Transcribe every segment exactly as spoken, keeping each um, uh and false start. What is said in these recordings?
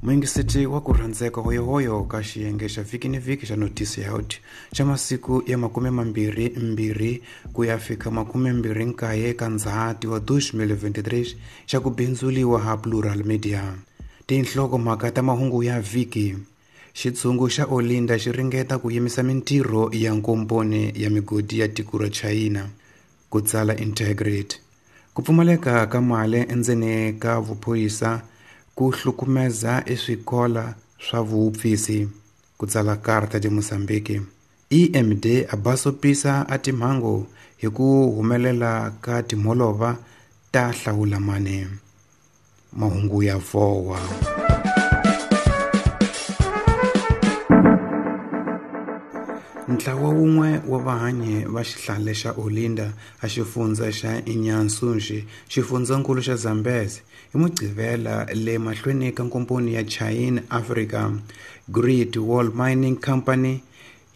Muyingiseti wa ku rhandzeka hoyohoyo ka xiyenge xa vhiki ni vhiki xa Notice Out xa masiku ya makume mambirhi mbirhi ku ya fika makume mbirhi nkaye ka Ndzhati wa twenty twenty-three xa ku bindzuliwa ha Plural Media. Tinhlokomhaka ta mahungu ya vhiki. Xitshungu xa Olinda xi ringeta ku yimisa mintirho ya nkomponi ya migodi ya tiko ra China. Ku tsala Integrate. Ku pfumaleka ka mali endzeni ka vuphorisa ku hlukumeza eswikola swa vuupfisi. Ku tsala Carta de Mozambique. E M D a basopisa a timhangu hi ku humelela ka timholova ta hlawulamani. Mahungu ya vowa. Ntlawa wun'we wa vahanyi va xihlale xa Olinda a xifundza xa Inyansunxi, xifundzankulu xa Zambezi, hi Mugqivela le mahlweni ka nkomponi ya China Africa Great Wall Mining Company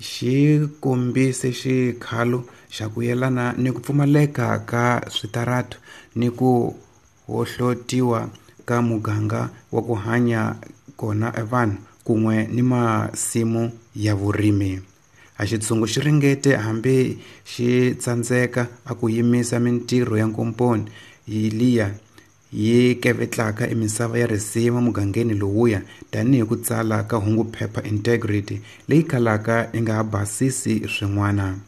xi kombise xikhalo xa ku yelana ni ku pfumaleka ka switaratu ni ku hohlotiwa ka muganga wa ku hanya kona evanhu kun'we ni masimu ya vurimi. A xitshungu xi ringete hambi xi tsandzeka a ku yimisa mintirho ya nkomponi liya yi kevetlaka emisava ya risima mugangeni lowuya tanihi ku tsala ka hungu phepha Integrity leyi kalaka yi nga basisi swin'wana.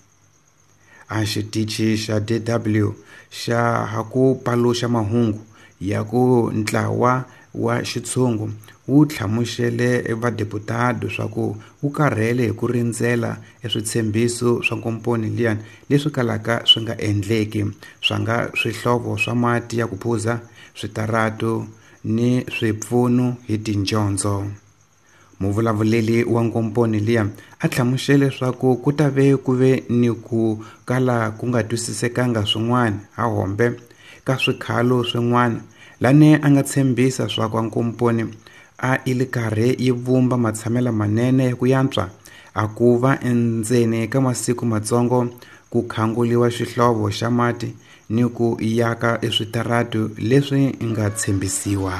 A xitichi xa D W xa ha ku paluxa mahungu ya ku ntlawa wa xitshungu wu hlamusele vadeputado swa ku wu karhele hi ku rindzela eswitshembiso swa nkomponi liyani leswi kalaka swi nga endleki swa nga swihlovo swa mati ya ku phuza, switaratu ni swipfuno hi tinjondzo. Muvulavuleli wa nkomponi liya a hlamusele leswaku ku ta ve ku ve ni ku kala ku nga twisisekanga swin'wana ha hombe ka swikhalo swin'wana lani a nga tshembisa swa ku nkomponi a i le karhi yi vumba matshamela manene ya ku yantswa a ku va endzeni ka masiku matsongo ku khanguliwa xihlovo xa mati ni ku yaka eswitaratu leswi nga tshembisiwa.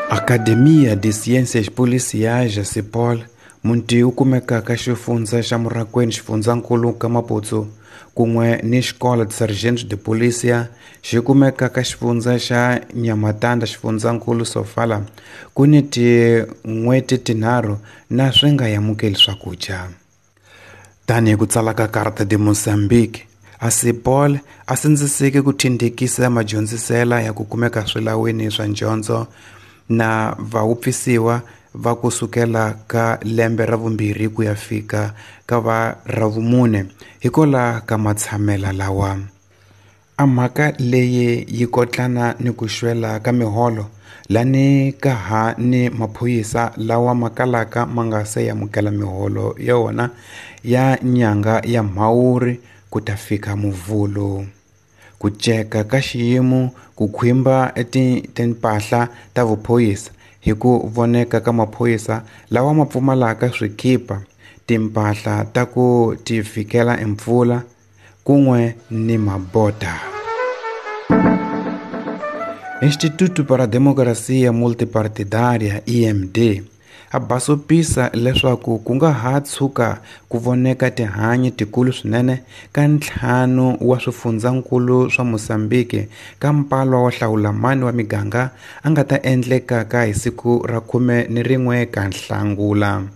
Academia de Ciências Policiais CEPOL munti wu kumekaka xifundza xa Murakwani xifundzankulu ka Maputo kun'we ni Escola de Sargentos de Polícia xi kumeka ka xifundza xa Nhamatanda xifundzankulu Sofala ku ni tin'hweti tinharhu na swi nga amukeli swakudya. Tanihi ku tsala ka Carta de Mozambique, a CEPOL a sindziseke ku tindikisa madyondzisela ya ku kumeka swilawini swa ndyondzo na vaupfisiwa va ku sukela ka lembe ra vumbirhi ku ya fika ka va ra vumune hikola ka matshamela lawa. A mhaka leyi yi kotlana ni ku xwela ka miholo lani ka ha ni maphorisa lawa ma kalaka ma nga se amukela miholo ya wona ya nyanga ya Mhawuri ku ta fika Muvhulo. Ku ceka ka xiyimo ku khwimba timpahla ta vuphorisa hi ku voneka ka maphorisa lawa ma pfumalaka swikipa, timpahla ta ku tivikela empfula kun'we ni mabota. Instituto para a Democracia Multipartidária I M D a basopisa leswaku ku nga ha tshuka ku voneka tihanyi tikulu swinene ka ntlhanu wa swifundzankulu swa Mozambique ka mpalwa wa hlawulamani wa miganga a nga ta endlekaka hi siku ra khume ni rin'we ka Nhlangula.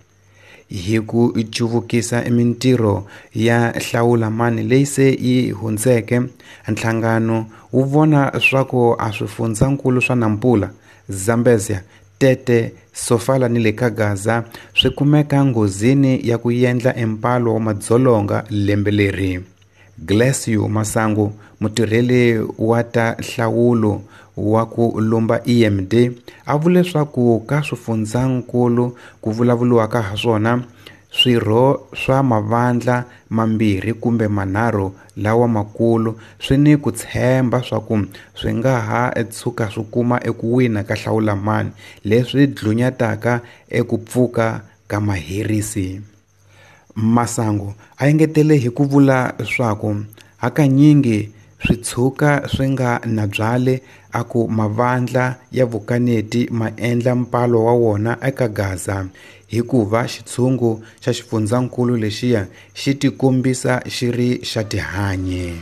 Hi ku cuvukisa mintirho ya hlawulamani leyi se yi hundzeke, nhlangano wu vona swa ku a swifundzankulu swa Nampula, Zambezia, Tete, Sofala ni le ka Gaza swi kumeka nghozini ya ku endla empalo wa madzolonga lembe leri. Glacio Masangu, mutirheli wa ta nhlawulo wa ku lumba E M D, a vule leswaku ka swifundzankulu ku vulavuriwaka ha swona swirho swa mavandla mambirhi kumbe manharhu lawa makulu swi ni ku tshemba swa ku swi nga ha tshuka swi kuma eku wina ka hlawulamani leswi dlunyataka eku pfuka ka maherisi. Masangu a engetele hi ku vula swaku hakanyingi swi tshuka swi nga na byale a ku mavandla ya vukaneti ma endla mpalo wa wona eka Gaza hikuva xitshungu xa xifundzankulu lexiya xi tikombisa xi ri xa tihanyi.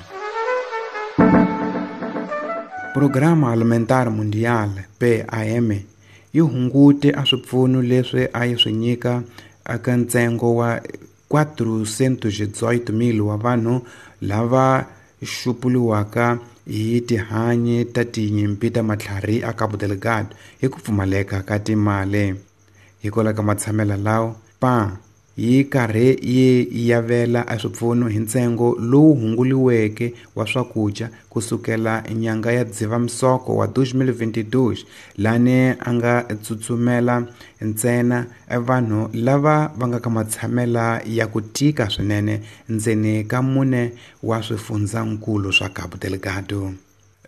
Programa Alimentar Mundial P A M yi hungute a swipfuno leswi a yi swi nyika eka ntsengo wa quatrocentos e dezoito mil wa vanhu lava xupuriwaka hi tihanyi ta tinyimpi ta matlhari a Cabo Delgado hi ku pfumaleka ka timali. Hikwalaho ka matshamelo lawa, P A M yi karhi yi yavela a swipfuno hi ntsengo lowu hunguliweke wa swakudya kusukela nyanga ya Dzivamisoko wa dois mil e vinte e dois lani a nga tsutsumela ntsena vanhu lava va nga ka matshamela ya ku tika swinene ndzeni ka mune wa swifundzankulu swa Cabo Delgado.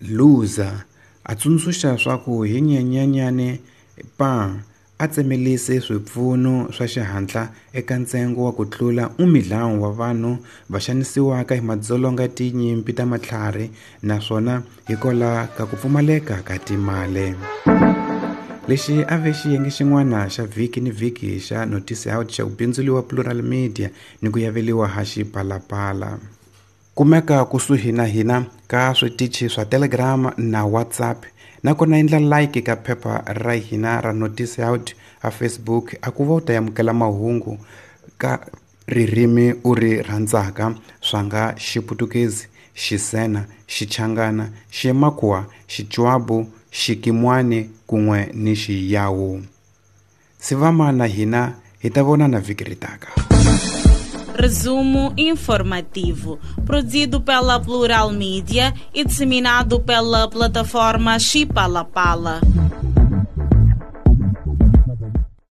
Luza a tsundzuxa swa ku hi Nyenyenyani P A M a tsemelise swipfuno swa xihatla eka ntsengo wa ku tlula un milhão wa vanhu va xanisiwaka hi madzolonga tinyimpi ta matlhari naswona hikwalaho ka ku pfumaleka ka timali. Lexi a ve xiyenge xin'wana xa vhiki ni vhiki xa Notice Out xa ku bindzuriwa Plural Media ni ku yaveliwa ha Xipalapala. Kumeka kusuhi na hina ka switichi swa Telegram na WhatsApp nakona endla like ka phepha ra hina ra Notice Out a Facebook a ku va u ta amukela mahungu ka ririmi u ri rhandzaka swa nga Xiputukezi, Xisena, Xichangana, Ximakua, Xichwabu, Xikimwani kun'we ni Xiyawu. Sivama na hina hi ta vonana vhiki ri taka. Resumo informativo, produzido pela Plural Mídia e disseminado pela plataforma Xipalapala.